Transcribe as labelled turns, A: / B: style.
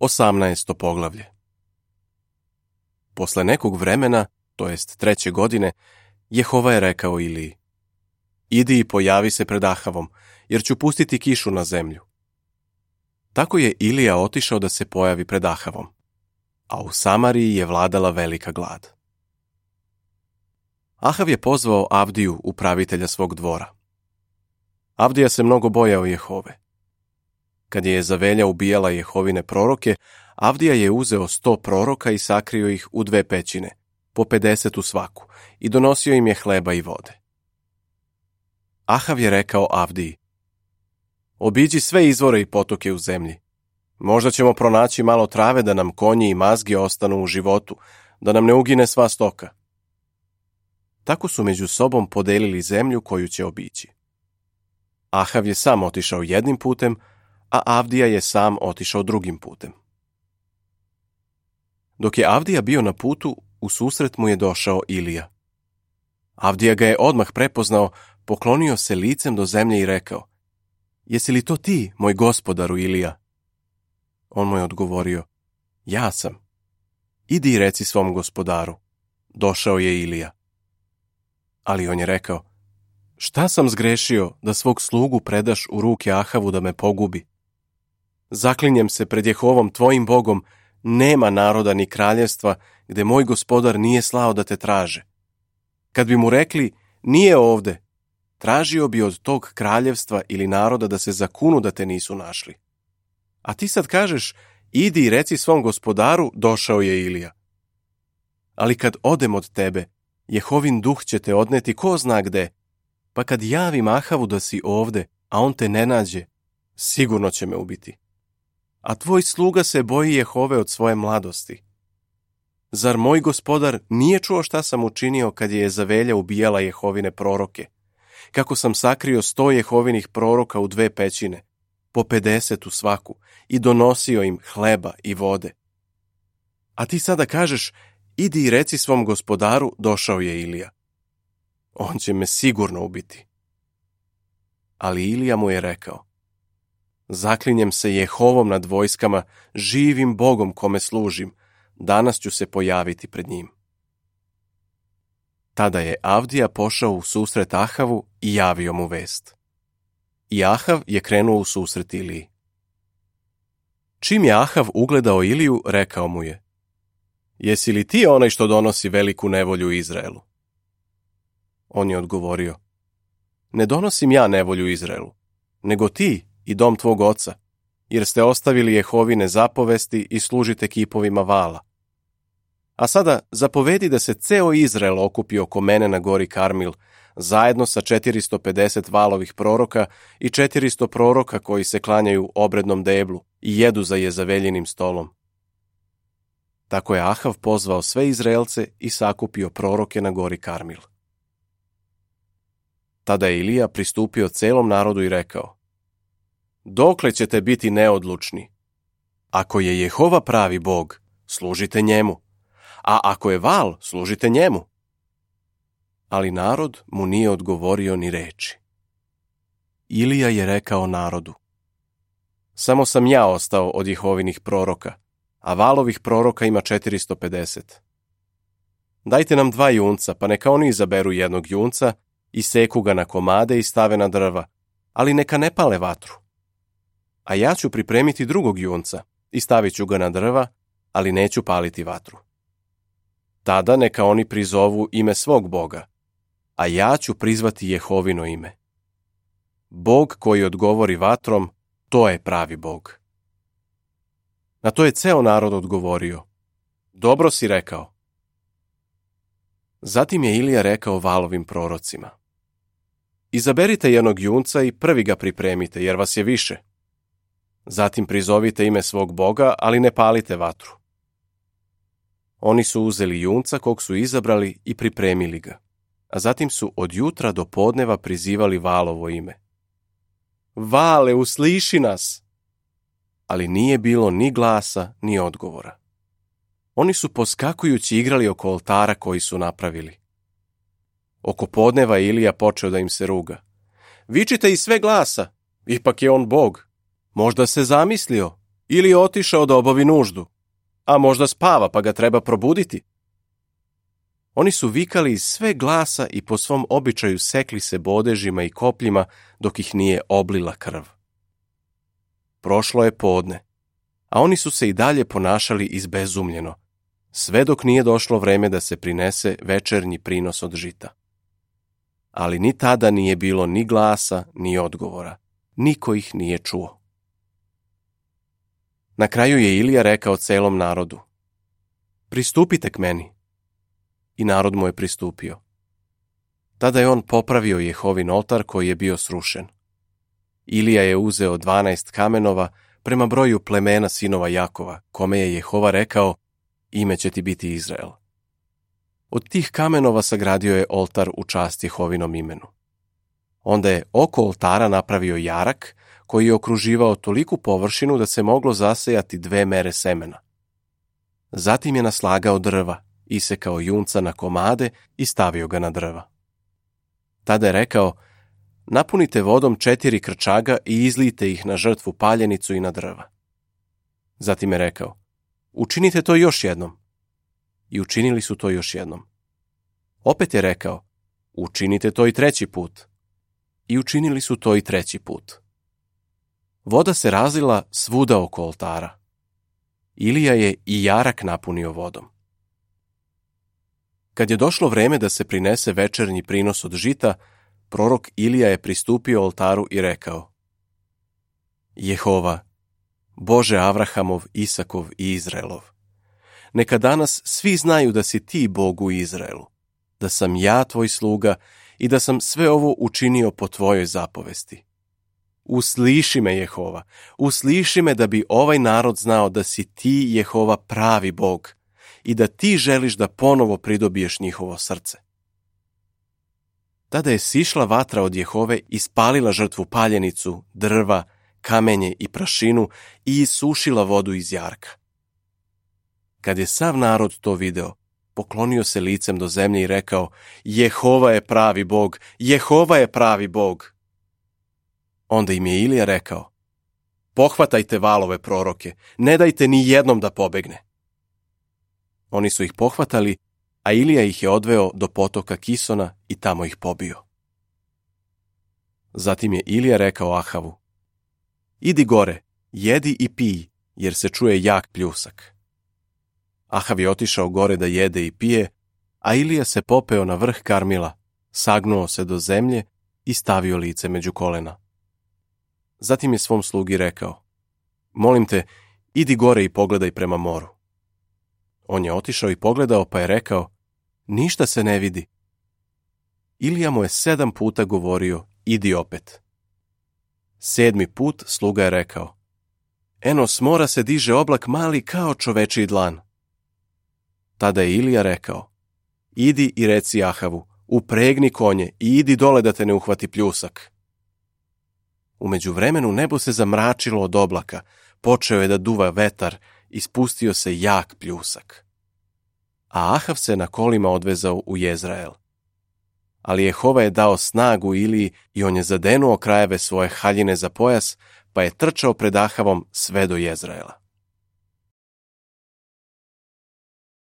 A: 18. poglavlje. Posle nekog vremena, to jest 3. godine, Jehova je rekao Iliji: Idi i pojavi se pred Ahavom, jer ću pustiti kišu na zemlju. Tako je Ilija otišao da se pojavi pred Ahavom, a u Samariji je vladala velika glad. Ahav je pozvao Avdiju, upravitelja svog dvora. Avdija se mnogo bojao Jehove. Kad je Jezavelja ubijala Jehovine proroke, Avdija je uzeo 100 proroka i sakrio ih u 2 pećine, po 50 u svaku, i donosio im je hleba i vode. Ahav je rekao Avdiji: Obiđi sve izvore i potoke u zemlji. Možda ćemo pronaći malo trave da nam konji i mazgi ostanu u životu, da nam ne ugine sva stoka. Tako su među sobom podelili zemlju koju će obići. Ahav je sam otišao jednim putem, a Avdija je sam otišao drugim putem. Dok je Avdija bio na putu, u susret mu je došao Ilija. Avdija ga je odmah prepoznao, poklonio se licem do zemlje i rekao: Jesi li to ti, moj gospodaru Ilija? On mu je odgovorio: Ja sam. Idi i reci svom gospodaru: Došao je Ilija. Ali on je rekao: Šta sam zgrešio da svog slugu predaš u ruke Ahavu da me pogubi? Zaklinjem se pred Jehovom tvojim Bogom, nema naroda ni kraljevstva gde moj gospodar nije slao da te traže. Kad bi mu rekli: Nije ovde, tražio bi od tog kraljevstva ili naroda da se zakunu da te nisu našli. A ti sad kažeš: Idi i reci svom gospodaru: Došao je Ilija. Ali kad odem od tebe, Jehovin duh će te odneti ko zna gde, pa kad javim Ahavu da si ovde, a on te ne nađe, sigurno će me ubiti. A tvoj sluga se boji Jehove od svoje mladosti. Zar moj gospodar nije čuo šta sam učinio kad je Jezavelja ubijala Jehovine proroke? Kako sam sakrio 100 Jehovinih proroka u 2 pećine, po 50 u svaku, i donosio im hleba i vode. A ti sada kažeš: Idi i reci svom gospodaru: Došao je Ilija. On će me sigurno ubiti. Ali Ilija mu je rekao: Zaklinjem se Jehovom nad vojskama, živim Bogom kome služim, danas ću se pojaviti pred njim. Tada je Avdija pošao u susret Ahavu i javio mu vest. I Ahav je krenuo u susret Iliji. Čim je Ahav ugledao Iliju, rekao mu je: Jesi li ti onaj što donosi veliku nevolju Izraelu? On je odgovorio: Ne donosim ja nevolju Izraelu, nego ti i dom tvog oca, jer ste ostavili Jehovine zapovesti i služite kipovima Vala. A sada zapovedi da se ceo Izrael okupi oko mene na gori Karmil, zajedno sa 450 Valovih proroka i 400 proroka koji se klanjaju obrednom deblu i jedu za Jezaveljinim stolom. Tako je Ahav pozvao sve Izraelce i sakupio proroke na gori Karmil. Tada je Ilija pristupio celom narodu i rekao: Dokle ćete biti neodlučni? Ako je Jehova pravi Bog, služite njemu, a ako je Val, služite njemu. Ali narod mu nije odgovorio ni reči. Ilija je rekao narodu: Samo sam ja ostao od Jehovinih proroka, a Valovih proroka ima 450. Dajte nam 2 junca, pa neka oni izaberu jednog junca i seku ga na komade i stave na drva, ali neka ne pale vatru. A ja ću pripremiti drugog junca i stavit ću ga na drva, ali neću paliti vatru. Tada neka oni prizovu ime svog Boga, a ja ću prizvati Jehovino ime. Bog koji odgovori vatrom, to je pravi Bog. Na to je ceo narod odgovorio: Dobro si rekao. Zatim je Ilija rekao Valovim prorocima: Izaberite jednog junca i prvi ga pripremite, jer vas je više. Zatim prizovite ime svog Boga, ali ne palite vatru. Oni su uzeli junca kog su izabrali i pripremili ga, a zatim su od jutra do podneva prizivali Valovo ime. Vale, usliši nas! Ali nije bilo ni glasa, ni odgovora. Oni su poskakujući igrali oko oltara koji su napravili. Oko podneva Ilija počeo da im se ruga: Vičite iz sve glasa, ipak je on Bog. Možda se zamislio, ili je otišao da obavi nuždu, a možda spava pa ga treba probuditi. Oni su vikali iz sve glasa i po svom običaju sekli se bodežima i kopljima dok ih nije oblila krv. Prošlo je podne, a oni su se i dalje ponašali izbezumljeno, sve dok nije došlo vreme da se prinese večernji prinos od žita. Ali ni tada nije bilo ni glasa, ni odgovora. Niko ih nije čuo. Na kraju je Ilija rekao celom narodu: pristupite k meni. I narod mu je pristupio. Tada je on popravio Jehovin oltar koji je bio srušen. Ilija je uzeo 12 kamenova prema broju plemena sinova Jakova, kome je Jehova rekao: ime će ti biti Izrael. Od tih kamenova sagradio je oltar u čast Jehovinom imenu. Onda je oko oltara napravio jarak koji je okruživao toliku površinu da se moglo zasejati 2 mere semena. Zatim je naslagao drva, isekao junca na komade i stavio ga na drva. Tada je rekao: napunite vodom 4 krčaga i izlijte ih na žrtvu paljenicu i na drva. Zatim je rekao: učinite to još jednom. I učinili su to još jednom. Opet je rekao: učinite to i 3. put. I učinili su to i 3. put. Voda se razlila svuda oko oltara. Ilija je i jarak napunio vodom. Kad je došlo vreme da se prinese večernji prinos od žita, prorok Ilija je pristupio oltaru i rekao: Jehova, Bože Avrahamov, Isakov i Izraelov, neka danas svi znaju da si ti Bog u Izraelu, da sam ja tvoj sluga i da sam sve ovo učinio po tvojoj zapovesti. Usliši me, Jehova, usliši me da bi ovaj narod znao da si ti, Jehova, pravi Bog i da ti želiš da ponovo pridobiješ njihovo srce. Tada je sišla vatra od Jehove i spalila žrtvu paljenicu, drva, kamenje i prašinu i isušila vodu iz jarka. Kad je sav narod to video, poklonio se licem do zemlje i rekao: Jehova je pravi Bog, Jehova je pravi Bog. Onda im je Ilija rekao: pohvatajte valove proroke, ne dajte ni jednom da pobegne. Oni su ih pohvatali, a Ilija ih je odveo do potoka Kisona i tamo ih pobio. Zatim je Ilija rekao Ahavu: idi gore, jedi i pij, jer se čuje jak pljusak. Ahav je otišao gore da jede i pije, a Ilija se popeo na vrh Karmila, sagnuo se do zemlje i stavio lice među kolena. Zatim je svom slugi rekao: molim te, idi gore i pogledaj prema moru. On je otišao i pogledao, pa je rekao: ništa se ne vidi. Ilija mu je 7 puta govorio: idi opet. 7. put sluga je rekao: eno, s mora se diže oblak mali kao čovečiji dlan. Tada je Ilija rekao: idi i reci Ahavu, upregni konje i idi dole da te ne uhvati pljusak. U međuvremenu nebo se zamračilo od oblaka, počeo je da duva vetar i spustio se jak pljusak. A Ahav se na kolima odvezao u Jezrael. Ali Jehova je dao snagu Iliji i on je zadenuo krajeve svoje haljine za pojas, pa je trčao pred Ahavom sve do Jezraela.